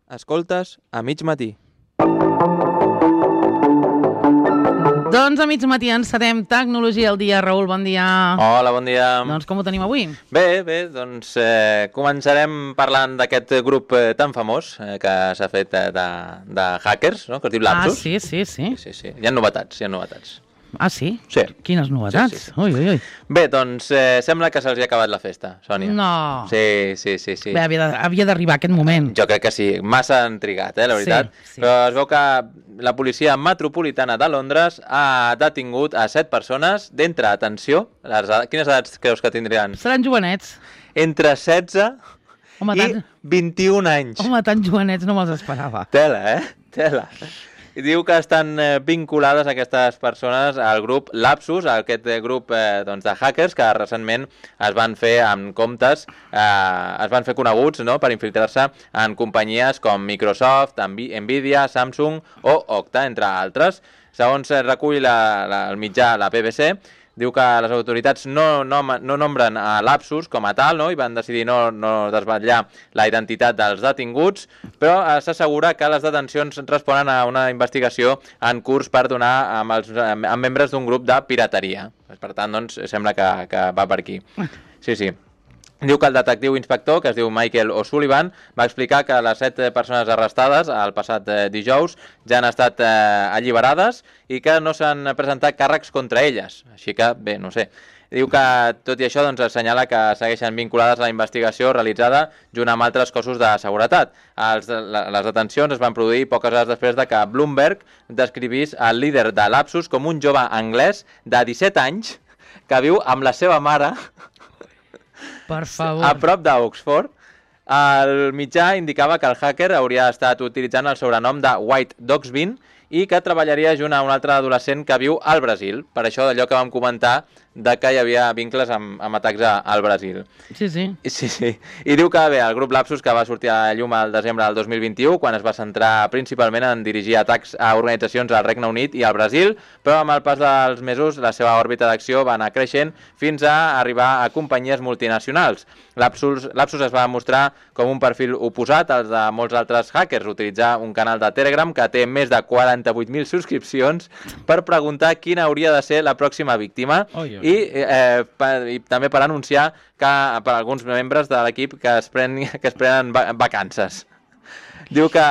Escoltes a mig matí. Doncs a mig matí encetem Tecnologia al dia. Raül, bon dia. Hola, bon dia. Doncs com ho tenim avui? Bé, doncs començarem parlant d'aquest grup tan famós que s'ha fet de hackers, no? Que es diu Lapsus. Sí. Hi ha novetats. Ah, sí? Sí. Quines novetats? Sí. Ui. Bé, doncs sembla que se'ls ha acabat la festa, Sònia. No. Sí. Bé, havia d'arribar aquest moment. Jo crec que sí, massa han trigat, la veritat. Sí. Però es veu que la policia metropolitana de Londres ha detingut a 7 persones d'entre, atenció, quines edats creus que tindrien? Seran jovenets. Entre 16 i 21 anys. Home, tan jovenets no me'ls esperava. Tela. I diu que estan vinculades aquestes persones al grup Lapsus, aquest grup de hackers que recentment es van fer amb comptes, es van fer coneguts, no?, per infiltrar-se en companyies com Microsoft, Nvidia, Samsung o Okta, entre altres. Segons recull el mitjà, la BBC, diu que les autoritats no nombren a Lapsus com a tal, no? I van decidir no desvetllar la identitat dels detinguts, però s'assegura que les detencions responen a una investigació en curs per donar amb membres d'un grup de pirateria. Per tant, doncs, sembla que va per aquí. Sí. Diu que el detectiu inspector, que es diu Michael O'Sullivan, va explicar que les 7 persones arrestades el passat dijous ja han estat alliberades i que no s'han presentat càrrecs contra elles. Així que, bé, no sé. Diu que, tot i això, doncs, assenyala que segueixen vinculades a la investigació realitzada junt amb altres cossos de seguretat. Les detencions es van produir poques hores després de que Bloomberg descrivís el líder de Lapsus com un jove anglès de 17 anys que viu amb la seva mare... Per favor. A prop d'Oxford. El mitjà indicava que el hacker hauria estat utilitzant el sobrenom de White Dogsbin i que treballaria junt a un altre adolescent que viu al Brasil. Per això d'allò que vam comentar de que hi havia vincles amb atacs al Brasil. Sí. I diu que, bé, el grup Lapsus, que va sortir a la llum al desembre del 2021, quan es va centrar principalment en dirigir atacs a organitzacions al Regne Unit i al Brasil, però amb el pas dels mesos la seva òrbita d'acció va anar creixent fins a arribar a companyies multinacionals. Lapsus es va mostrar com un perfil oposat als de molts altres hackers, utilitzar un canal de Telegram que té més de 48.000 subscripcions per preguntar quina hauria de ser la pròxima víctima i també per anunciar que per alguns membres de l'equip que es prenen vacances. Diu que,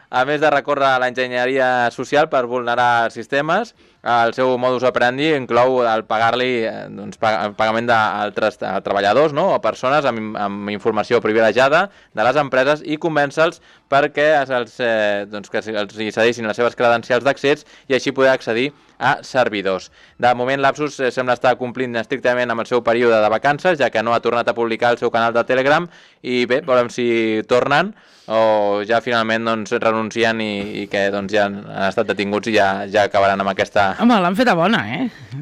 a més de recórrer a l'enginyeria social per vulnerar sistemes, el seu modus operandi inclou el pagar-li el pagament d'altres treballadors, no?, o persones amb informació privilegiada de les empreses i convèncer-los perquè els cedissin les seves credencials d'accés i així poder accedir a servidors. De moment, Lapsus sembla estar complint estrictament amb el seu període de vacances, ja que no ha tornat a publicar el seu canal de Telegram i bé, veurem si tornen o ja finalment renuncien i que ja han estat detinguts i ja acabaran amb aquesta... Home, l'han feta bona,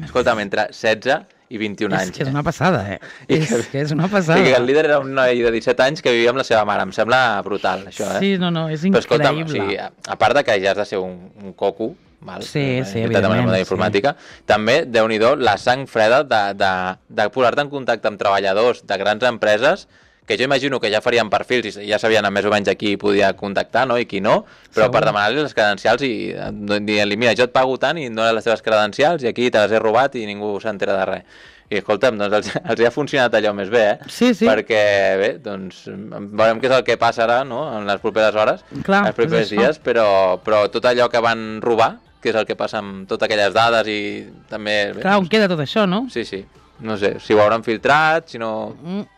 Escolta'm, entre 16 i 21 anys. És que és una passada, És una passada. I que el líder era un noi de 17 anys que vivia amb la seva mare. Em sembla brutal, això, Sí, no, és increïble. Però escolta'm, a part de que ja has de ser un coco, val? Sí, evidentment. Informàtica, també, Déu-n'hi-do, la sang freda de posar-te en contacte amb treballadors de grans empreses que jo imagino que ja farien perfils i ja sabien més o menys a qui podia contactar, no?, i qui no, però per demanar-li les credencials i dir-li, mira, jo et pago tant i no les teves credencials i aquí te les he robat i ningú s'entera de res. I escolta'm, doncs els ha funcionat allò més bé, Sí. Perquè, bé, doncs veurem què és el que passarà, no?, en les properes hores, els propers dies, però tot allò que van robar, que és el que passa amb totes aquelles dades i també... Clar, on queda tot això, no? Sí. No sé, si ho hauran filtrat, si no...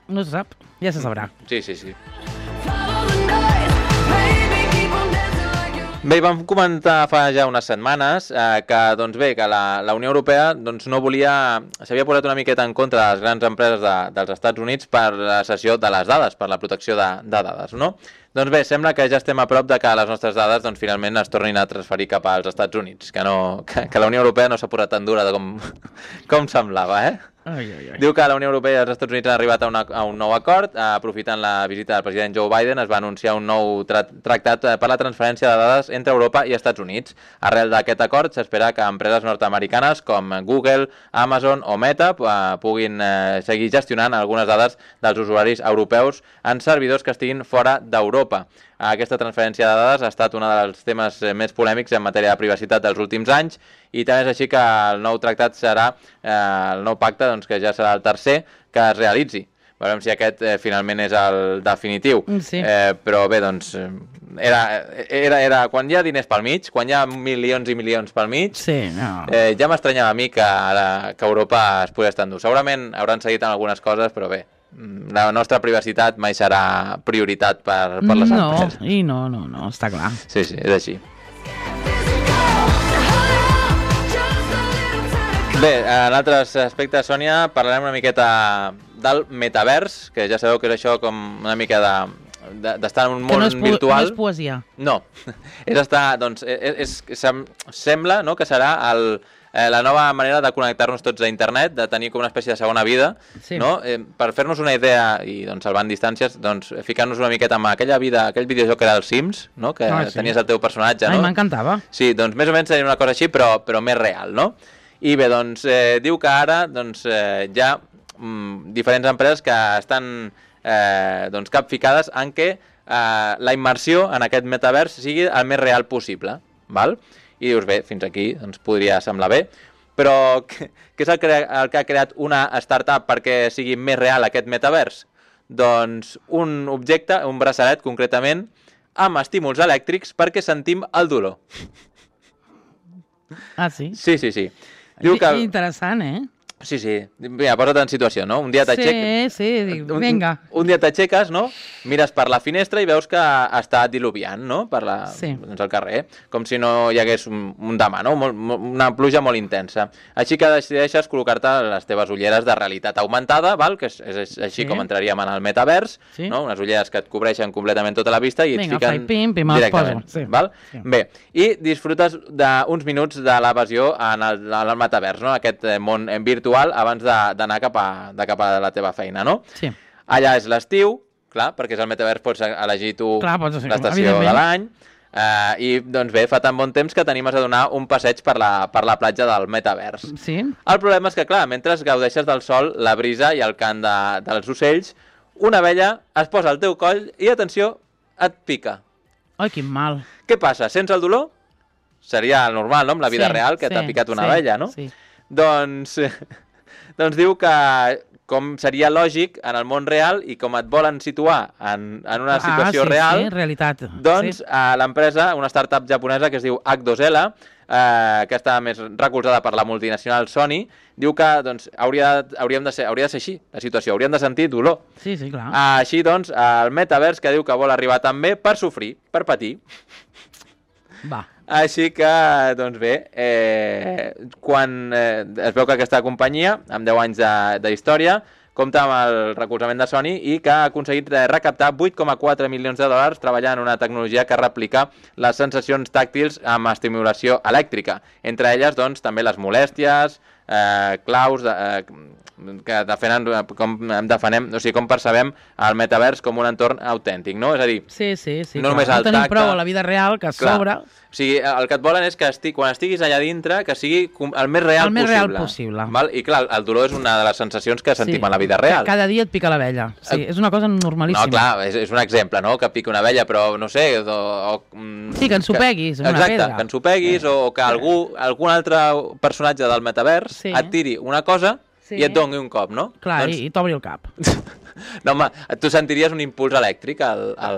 No se sap, ja se sabrà. Sí. Bé, vam comentar fa ja unes setmanes que la Unió Europea no volia... S'havia posat una miqueta en contra de les grans empreses dels Estats Units per la cessió de les dades, per la protecció de dades, no? Doncs bé, sembla que ja estem a prop de que les nostres dades finalment es tornin a transferir cap als Estats Units, que la Unió Europea no s'ha posat tan dura com semblava, Diu que la Unió Europea i els Estats Units han arribat a un nou acord. Aprofitant la visita del president Joe Biden, es va anunciar un nou tractat per la transferència de dades entre Europa i Estats Units. Arrel d'aquest acord, s'espera que empreses nord-americanes com Google, Amazon o Meta puguin seguir gestionant algunes dades dels usuaris europeus en servidors que estiguin fora d'Europa. aquesta transferència de dades ha estat un dels temes més polèmics en matèria de privacitat dels últims anys i també és així que el nou tractat serà, el nou pacte, doncs, que ja serà el tercer que es realitzi. Veurem si aquest finalment és el definitiu. Sí. Però bé, doncs, era quan hi ha diners pel mig, quan hi ha milions i milions pel mig, sí, no. Ja m'estranyava a mi que Europa es pogués estar endur. Segurament hauran seguit en algunes coses, però bé, la nostra privacitat mai serà prioritat per les empreses. No, està clar. Sí, és així. Bé, en altres aspectes, Sònia, parlarem una miqueta del metavers, que ja sabeu que és això com una mica d'estar en un món virtual. Que no és poesia. No, és estar, doncs, sembla, no?, que serà la nova manera de connectar-nos tots a internet, de tenir com una espècie de segona vida, sí. No? Per fer-nos una idea i doncs, salvant distàncies, doncs, ficar-nos una miqueta amb aquella vida, aquell videojoc que era el Sims, no?, que tenies el teu personatge, no? Ai, m'encantava. Sí, doncs més o menys seria una cosa així, però més real, no? I bé, doncs, diu que ara doncs, hi ha diferents empreses que estan doncs, capficades en què la immersió en aquest metavers sigui el més real possible, val? I dius, bé, fins aquí doncs, podria semblar bé, però què és el que ha creat una startup perquè sigui més real aquest metavers? Doncs un objecte, un braçalet concretament, amb estímuls elèctrics perquè sentim el dolor. Ah, sí? Sí. Diu que... Interessant, eh? Sí. Mira, posa't en situació, no? Un dia t'aixeques... Sí, dic, vinga. Un dia t'aixeques, no? Mires per la finestra i veus que està diluviant, no? Doncs al carrer. Com si no hi hagués un demà, no? Una pluja molt intensa. Així que decideixes col·locar-te les teves ulleres de realitat augmentada, val? Que és així com entraríem en el metavers, no? Unes ulleres que et cobreixen completament tota la vista i et fiquen directament. Val? Sí. Bé, i disfrutes d'uns minuts de l'evasió en el metavers, no? Aquest món virtual abans d'anar cap a la teva feina, no? Sí. Allà és l'estiu, clar, perquè és el metavers, pots elegir tu l'estació de l'any, i doncs bé, fa tan bon temps que t'animes a donar un passeig per la platja del metavers. Sí. El problema és que, clar, mentre gaudeixes del sol, la brisa i el cant dels ocells, una abella es posa al teu coll i, atenció, et pica. Ai, quin mal. Què passa? Sents el dolor? Seria el normal, no?, amb la vida real, que t'ha picat una abella, no? Sí. Doncs diu que com seria lògic en el món real i com et volen situar en una situació real, realitat. Doncs l'empresa, una startup japonesa que es diu H2L, que està més recolzada per la multinacional Sony, diu que doncs, hauria de ser així, la situació, hauríem de sentir dolor. Sí, clar. Així doncs, el metavers que diu que vol arribar també per sofrir, per patir. Va. Així que, doncs bé, quan es veu que aquesta companyia, amb 10 anys d'història, compta amb el recolzament de Sony i que ha aconseguit recaptar 8,4 milions de dòlars treballant en una tecnologia que replica les sensacions tàctils amb estimulació elèctrica. Entre elles, doncs, també les molèsties, claus que defenem, o sigui, com percebem el metavers com un entorn autèntic, no? És a dir, no només el tacte... No tenim prou a la vida real, que sobre... O sigui, el que et volen és que quan estiguis allà dintre, que sigui el més real possible. Val? I clar, el dolor és una de les sensacions que sentim en la vida real. Cada dia et pica l'abella. Sí, és una cosa normalíssima. No, clar, és un exemple, no?, que pica una abella, però no sé... Sí, que ensopeguis una pedra. Exacte, que ensopeguis o que algun altre personatge del metavers et tiri una cosa i et doni un cop, no? Clar, i t'obri el cap. No, home, tu sentiries un impuls elèctric.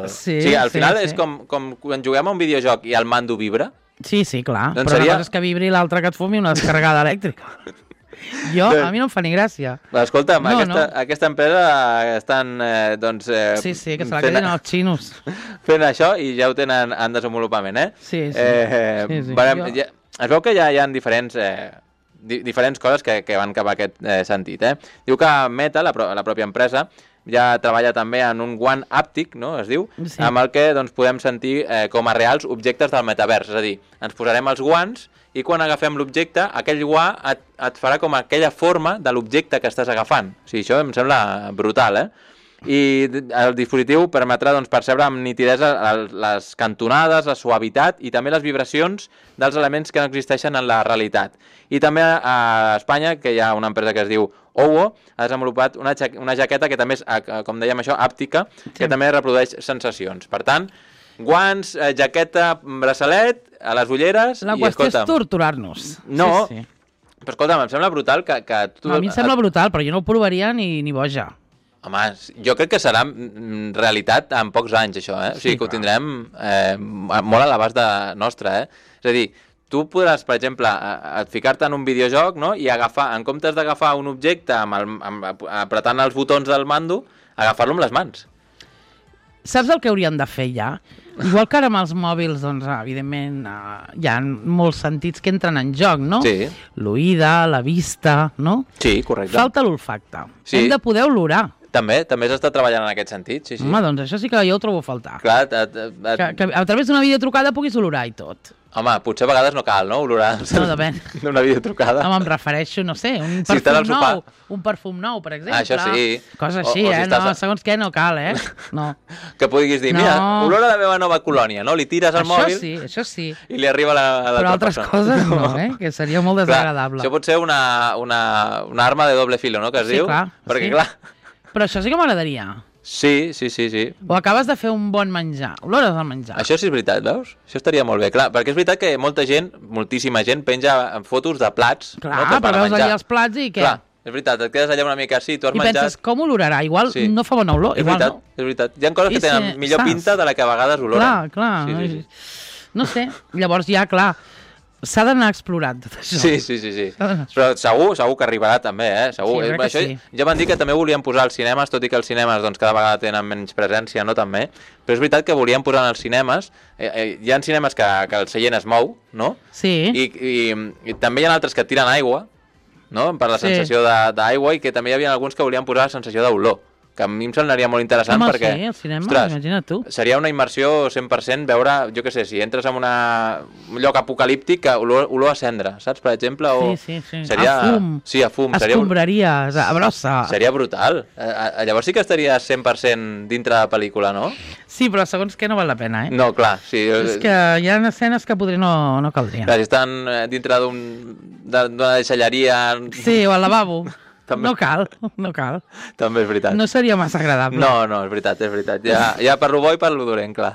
Sí, al final és com quan juguem a un videojoc i el mando vibra. Sí, clar, però una cosa és que vibri i l'altra que et fumi una descarregada elèctrica. A mi no em fa ni gràcia. Escolta'm, aquesta empresa estan, doncs... Sí, que se la queden els xinos. Fent això i ja ho tenen en desenvolupament, eh? Sí. Es veu que ja hi ha diferents coses que van cap a aquest sentit, eh? Diu que Meta, la pròpia empresa, ja treballa també en un guant àptic, no?, es diu, amb el que doncs, podem sentir com a reals objectes del metavers. És a dir, ens posarem els guants i quan agafem l'objecte, aquell guant et farà com aquella forma de l'objecte que estàs agafant. O sigui, això em sembla brutal, I el dispositiu permetrà doncs, percebre amb nitidesa les cantonades, la suavitat i també les vibracions dels elements que no existeixen en la realitat. I també a Espanya, que hi ha una empresa que es diu OWO, ha desenvolupat una jaqueta que també és, com dèiem això, àptica, que també reprodueix sensacions. Per tant, guants, jaqueta, braçalet, a les ulleres... La qüestió és torturar-nos. No, però escolta'm, em sembla brutal que tu... A mi em sembla brutal, però jo no ho provaria ni boja. Home, jo crec que serà realitat en pocs anys, això, O sigui, que ho tindrem molt a l'abast nostre, És a dir, tu podràs, per exemple, ficar-te en un videojoc, no?, i agafar, en comptes d'agafar un objecte apretant els botons del mando, agafar-lo amb les mans. Saps el que haurien de fer ja? Igual que ara amb els mòbils, doncs, evidentment, hi ha molts sentits que entren en joc, no? Sí. L'oïda, la vista, no? Sí, correcte. Falta l'olfacte. Sí. Hem de poder olorar. També s'està treballant en aquest sentit, sí. Home, doncs això sí que jo ho trobo a faltar. Clar, que a través d'una videotrucada puguis olorar i tot. Home, potser a vegades no cal, no?, olorar d'una videotrucada. Home, em refereixo, no sé, un perfum nou. Un perfum nou, per exemple. Això sí. Cosa així, no, segons què no cal, No. Que puguis dir, mira, olora la meva nova colònia, no? Li tires al mòbil... Això sí. I li arriba a l'altra persona. Però altres coses no, que seria molt desagradable. Això pot ser una arma de doble filo, no?, que es diu. Sí, clar. Perquè, clar... Però això sí que m'agradaria. Sí. O acabes de fer un bon menjar, olores al menjar. Això sí és veritat, veus? Això estaria molt bé, clar, perquè és veritat que molta gent, moltíssima gent, penja fotos de plats. Clar, però veus allà els plats i què? Clar, és veritat, et quedes allà una mica així, tu has menjat... I penses, com olorarà? Igual no fa bona olor, igual no. És veritat, hi ha coses que tenen millor pinta de la que a vegades oloren. Clar. No sé, llavors ja, clar, s'ha d'anar explorant tot això. Sí. Però segur que arribarà també, Segur. Sí, això, ja van dir que també volien posar als cinemes, tot i que els cinemes doncs, cada vegada tenen menys presència, no també, però és veritat que volien posar als cinemes, hi ha cinemes que el seient es mou, no? Sí. I també hi ha altres que tiren aigua, no?, per la sensació d'aigua, i que també hi havia alguns que volien posar la sensació d'olor, que a mi em semblaria molt interessant. Home, perquè, sí, el cinema, ostres, imagina't tu. Seria una immersió 100% veure, jo què sé, si entres en un lloc apocalíptic, olor a cendra, saps, per exemple? O sí. Seria... A fum. Sí, a fum. Escombraries, a brossa. Seria brutal. Llavors sí que estaries 100% dintre de la pel·lícula, no? Sí, però segons què no val la pena, No, clar, sí. És que hi ha escenes que potser no caldrien. Clar, si estan dintre d'una deixalleria... Sí, o al lavabo. També. No cal. També és veritat. No seria massa agradable. No, és veritat. Ja per lo bo i per lo dolent, clar.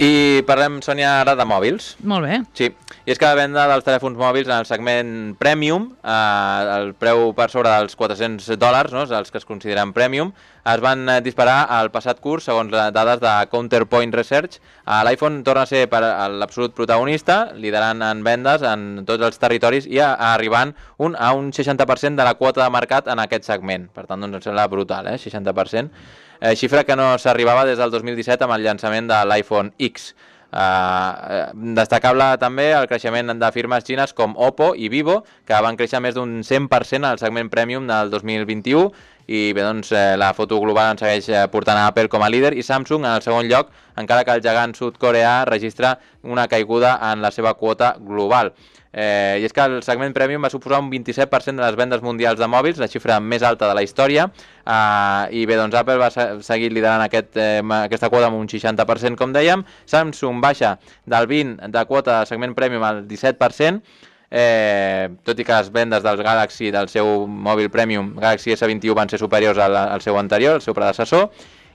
I parlem, Sònia, ara de mòbils. Molt bé. Sí, i és que la venda dels telèfons mòbils en el segment Premium, el preu per sobre dels $400, no?, els que es consideren Premium, es van disparar al passat curs, segons les dades de Counterpoint Research. L'iPhone torna a ser l'absolut protagonista, liderant en vendes en tots els territoris i arribant a un 60% de la quota de mercat en aquest segment. Per tant, doncs, em sembla brutal, 60%. Xifra que no s'arribava des del 2017 amb el llançament de l'iPhone X. Destacable també el creixement de firmes xines com Oppo i Vivo, que van créixer més d'un 100% al segment Premium del 2021, i bé, doncs, la foto global en segueix portant a Apple com a líder i Samsung en el segon lloc, encara que el gegant sud-coreà registra una caiguda en la seva quota global. I és que el segment Premium va suposar un 27% de les vendes mundials de mòbils, la xifra més alta de la història, i bé, doncs Apple va seguir liderant aquesta quota amb un 60%, com dèiem. Samsung baixa del 20% de quota de segment Premium al 17%, tot i que les vendes dels Galaxy, del seu mòbil Premium Galaxy S21, van ser superiors al seu anterior, el seu predecessor.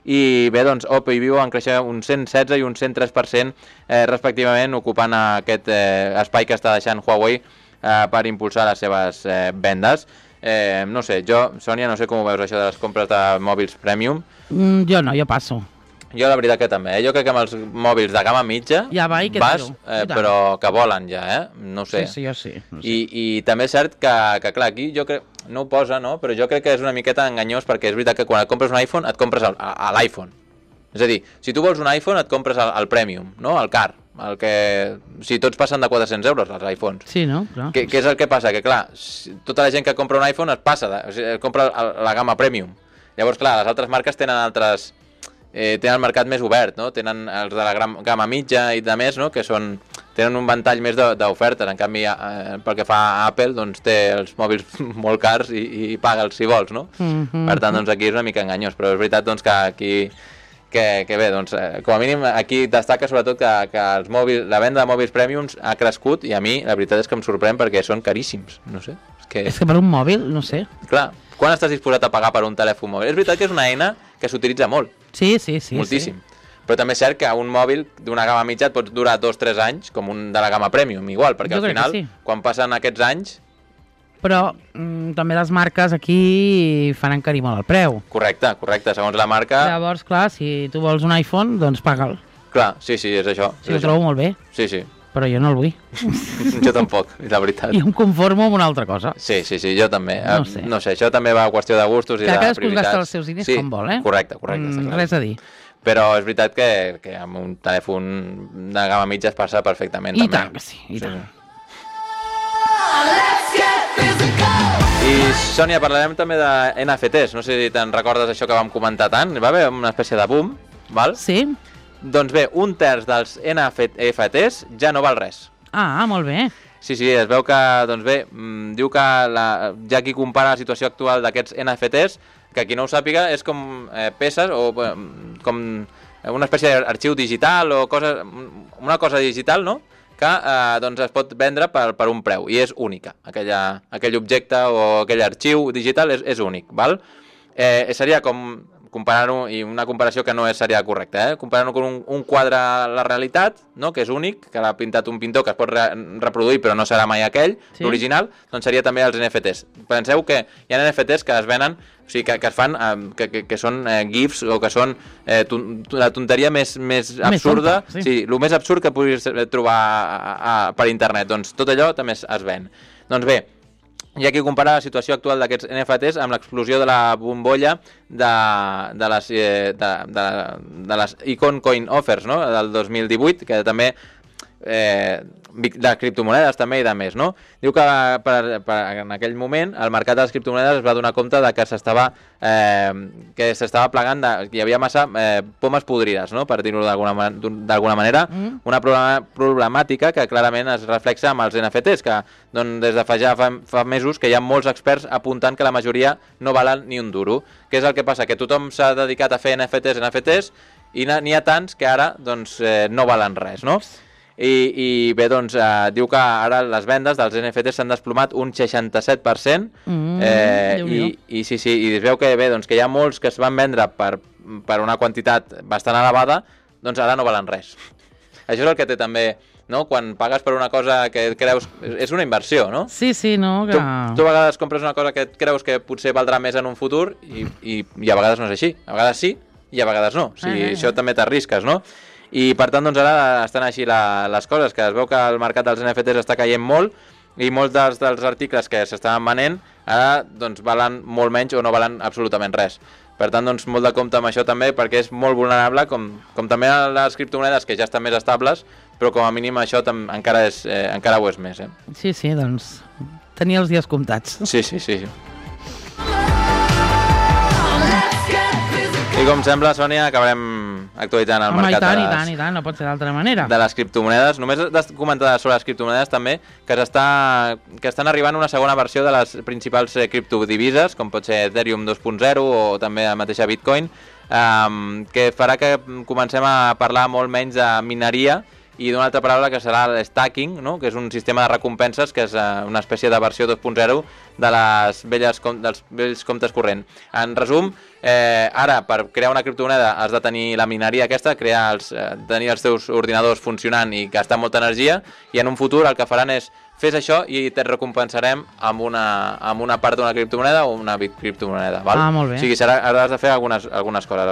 I bé, doncs Oppo i Vivo van créixer un 116 i un 103% respectivament, ocupant aquest espai que està deixant Huawei per impulsar les seves vendes. No sé, Sònia, no sé com ho veus això de les compres de mòbils Premium. Jo no, jo passo. Jo la veritat que també, Jo crec que amb els mòbils de gamma mitja ja va, i vas, però que volen ja, No sé. Sí, jo sí. I també és cert que clar, aquí jo crec, no ho posa, no? Però jo crec que és una miqueta enganyós, perquè és veritat que quan et compres un iPhone, et compres l'iPhone. És a dir, si tu vols un iPhone, et compres el Premium, no? El car. Si tots passen de 400 euros, els iPhones. Sí, no? Clar. Què és el que passa? Que clar, tota la gent que compra un iPhone es passa, compra la gamma Premium. Llavors, clar, les altres marques tenen tenen el mercat més obert, no? Tenen els de la gamma mitja i de més, no? Que tenen un ventall més d'ofertes. En canvi, pel que fa a Apple, doncs té els mòbils molt cars i paga'ls si vols, no? Per tant, doncs aquí és una mica enganyós, però és veritat doncs, que aquí que bé, doncs, com a mínim aquí destaca sobretot que els mòbils, la venda de mòbils Premiums ha crescut, i a mi la veritat és que em sorprèn perquè són caríssims, no sé. És que per un mòbil, no sé. Clar, Quan estàs disposat a pagar per un telèfon mòbil? És veritat que és una eina que s'utilitza molt. Sí. Moltíssim. Però també és cert que un mòbil d'una gamma mitja et pot durar 2-3 anys, com un de la gamma premium, igual, perquè al final, quan passen aquests anys... Però també les marques aquí fan encarir molt el preu. Correcte, segons la marca... Llavors, clar, si tu vols un iPhone, doncs paga'l. Clar, sí, és això. Sí, ho trobo molt bé. Sí. Però jo no el vull. Jo tampoc, la veritat. I em conformo amb una altra cosa. Sí, jo també. No sé, això també va a qüestió de gustos i de prioritats. Cadascú es gasta els seus diners com vol, eh? Correcte. Res a dir. Però és veritat que amb un telèfon de gamma mitja es passa perfectament. I tant que sí, i tant. I, Sònia, parlarem també de NFTs. No sé si te'n recordes això que vam comentar tant. Va haver una espècie de boom, val? Sí. Doncs bé, 1/3 dels NFTs ja no val res. Ah, molt bé. Sí, es veu que, doncs bé, diu que ja qui compara la situació actual d'aquests NFTs, que qui no ho sàpiga és com peces o com una espècie d'arxiu digital o una cosa digital, no?, que doncs es pot vendre per un preu i és única. Aquell objecte o aquell arxiu digital és únic, val? Seria com comparar-ho, i una comparació que no seria correcta, comparant-ho amb un quadre a la realitat, no?, que és únic, que l'ha pintat un pintor que es pot reproduir però no serà mai aquell, l'original, doncs seria també els NFTs. Penseu que hi ha NFTs que es venen, o sigui, que es fan, que són GIFs o que són la tonteria més absurda, el més absurd que puguis trobar per internet, doncs tot allò també es ven. Doncs bé, hi ha qui compara la situació actual d'aquests NFTs amb l'explosió de la bombolla de les Icon Coin Offers, no?, del 2018, que també de criptomonedes també i de més, no? Diu que en aquell moment el mercat de les criptomonedes es va donar compte de que s'estava plegant, hi havia massa pomes podrides, no?, per dir-ho d'alguna manera, una problemàtica que clarament es reflexa amb els NFTs, que des de fa mesos que hi ha molts experts apuntant que la majoria no valen ni un duro. Què és el que passa? Que tothom s'ha dedicat a fer NFTs i n'hi ha tants que ara no valen res, no? I bé, doncs, diu que ara les vendes dels NFTs s'han desplomat un 67%, i sí, i es veu que bé, doncs, que hi ha molts que es van vendre per una quantitat bastant elevada, doncs ara no valen res. Això és el que té també, no?, quan pagues per una cosa que creus... És una inversió, no? Sí, no? Que... Tu a vegades compres una cosa que creus que potser valdrà més en un futur i a vegades no és així. A vegades sí i a vegades no. O sigui, això també t'arrisques, no? I per tant, doncs ara estan així les coses, que es veu que el mercat dels NFTs està caient molt i molts dels articles que s'estaven venent ara doncs valen molt menys o no valen absolutament res. Per tant, doncs molt de compte amb això també, perquè és molt vulnerable, com també les criptomonedes que ja estan més estables, però com a mínim això encara ho és més. Sí, doncs tenia els dies comptats. Sí. I com sembla, Sònia, acabarem actualitzant el mercat i tant, no pot ser d'altra manera. De les criptomonedes. Només de comentar sobre les criptomonedes també que estan arribant una segona versió de les principals criptodivises, com pot ser Ethereum 2.0 o també la mateixa Bitcoin, que farà que comencem a parlar molt menys de mineria i d'una altra paraula que serà l'stacking, no?, que és un sistema de recompenses que és una espècie de versió 2.0 dels vells comptes corrent. En resum, ara per crear una criptomoneda has de tenir la mineria aquesta, tenir els teus ordinadors funcionant i gastar molta energia, i en un futur el que faran és fes això i te recompensarem amb una part d'una criptomoneda o una criptomoneda, val? Molt bé. O sigui, has de fer algunes coses,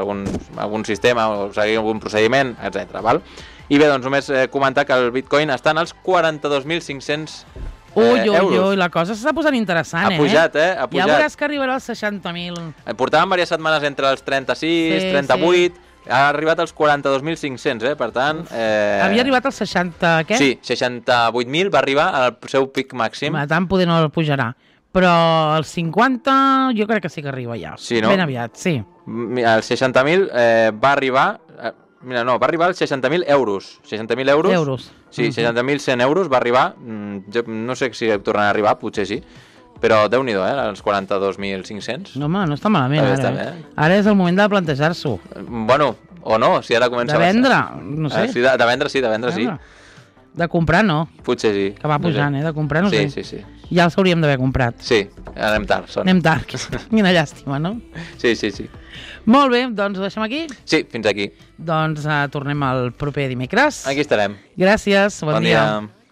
algun sistema o seguir algun procediment, etc. val? I bé, doncs només comentar que el Bitcoin està en els 42.500 euros. La cosa s'està posant interessant, Ha pujat. Ja veuràs que arribarà als 60.000. Portàvem diverses setmanes entre els 36, 38... Ha arribat als 42.500, per tant... Havia arribat als 60, què? Sí, 68.000 va arribar al seu pic màxim. Tant poder no el pujarà. Però els 50 jo crec que sí que arriba ja. Sí, no? Ben aviat, sí. Els 60.000 va arribar... va arribar als 60.000 euros. 60.000 euros? Sí, 60.100 euros va arribar. Jo no sé si tornarà a arribar, potser sí. Però Déu-n'hi-do, els 42.500. No, home, no està malament, ara. Ara és el moment de plantejar-s'ho. Bueno, o no, si ara comença... De vendre, no sé. De vendre sí. De comprar no. Potser sí. Que va pujant, de comprar no sé. Sí. Ja els hauríem d'haver comprat. Sí, anem tard. Anem tard, quina llàstima, no? Sí. Molt bé, doncs ho deixem aquí? Sí, fins aquí. Doncs tornem el proper dimecres. Aquí estarem. Gràcies, bon dia.